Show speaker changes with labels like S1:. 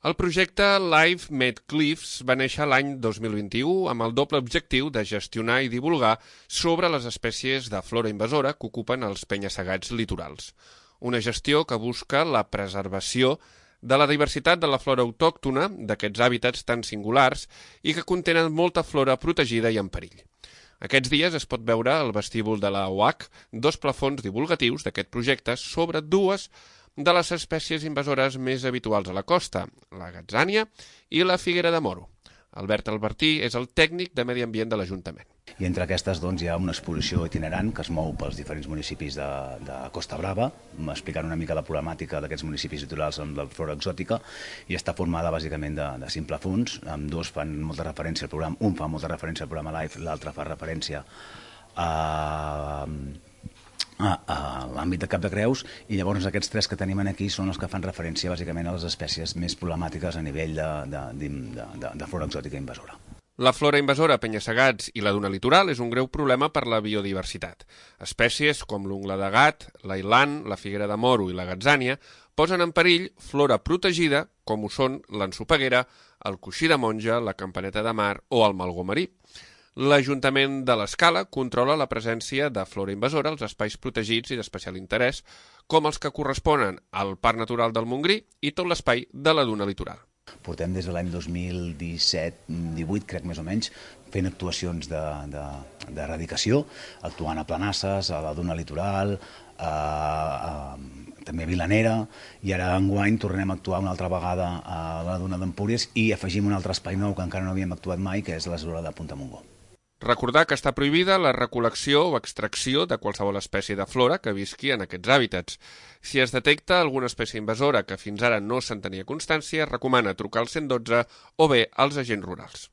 S1: El projecte Live Made Cliffs va néixer l'any 2021 amb el doble objectiu de gestionar i divulgar sobre les espècies de flora invasora que ocupen els penya-segats litorals. Una gestió que busca la preservació de la diversitat de la flora autòctona d'aquests hàbitats tan singulars i que contenen molta flora protegida i en perill. Aquests dies es pot veure al vestíbul de la UAC dos plafons divulgatius d'aquest projecte sobre dues de les espècies invasores més habituals a la costa, la gatzània i la figuera de moro. Albert Albertí és el tècnic de Medi Ambient de l'Ajuntament.
S2: I entre aquestes hi ha una exposició itinerant que es mou pels diferents municipis de Costa Brava, explicant una mica la problemàtica d'aquests municipis litorals amb la flora exòtica, i està formada bàsicament de 5 plafons. Dos fan molta referència al programa, un fa molta referència al programa Live, l'altre fa referència a l'àmbit de Cap de Creus, i llavors aquests 3 que tenim aquí són els que fan referència bàsicament a les espècies més problemàtiques a nivell de flora exòtica invasora.
S1: La flora invasora a penya-segats i la duna litoral és un greu problema per la biodiversitat. Espècies com l'ungla de gat, l'ailan, la figuera de moro i la gatzània posen en perill flora protegida com ho són l'ensopeguera, el coixí de monja, la campaneta de mar o el malgó marí. L'Ajuntament de l'Escala controla la presència de flora invasora als espais protegits i d'especial interès, com els que corresponen al Parc Natural del Montgrí i tot l'espai de la duna litoral.
S2: Portem des de l'any 2017-18, crec més o menys, fent actuacions d'erradicació, actuant a Planasses, a la duna litoral, també a Vilanera, i ara enguany tornem a actuar una altra vegada a la duna d'Empúries i afegim un altre espai nou que encara no havíem actuat mai, que és la zona de Punta Montgó.
S1: Recordar que està prohibida la recol·lecció o extracció de qualsevol espècie de flora que visqui en aquests hàbitats. Si es detecta alguna espècie invasora que fins ara no se'n tenia constància, recomana trucar al 112 o bé als agents rurals.